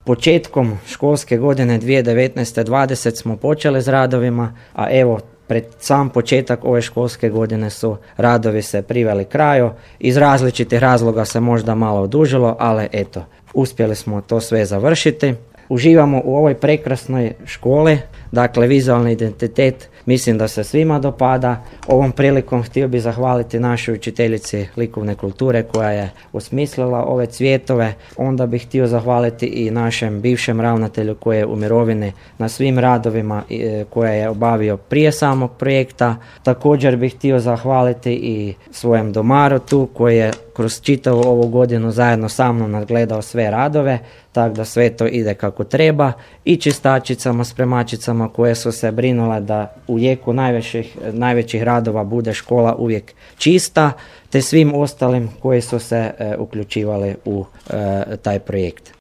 početkom školske godine 2019-2020 smo počeli s radovima, a evo pred sam početak ove školske godine su radovi se priveli kraju. Iz različitih razloga se možda malo odužilo, ali eto, uspjeli smo to sve završiti. Uživamo u ovoj prekrasnoj školi, dakle vizualni identitet mislim da se svima dopada. Ovom prilikom htio bih zahvaliti našoj učiteljici likovne kulture koja je osmislila ove cvjetove. Onda bih htio zahvaliti i našem bivšem ravnatelju koji je u mirovini na svim radovima koje je obavio prije samog projekta. Također bih htio zahvaliti i svojem domaru tu koji je kroz čitavu ovu godinu zajedno sa mnom nadgledao sve radove, tako da sve to ide kako treba, i čistačicama, spremačicama koje su se brinule da u jeku najvećih radova bude škola uvijek čista, te svim ostalim koji su se uključivali u taj projekt.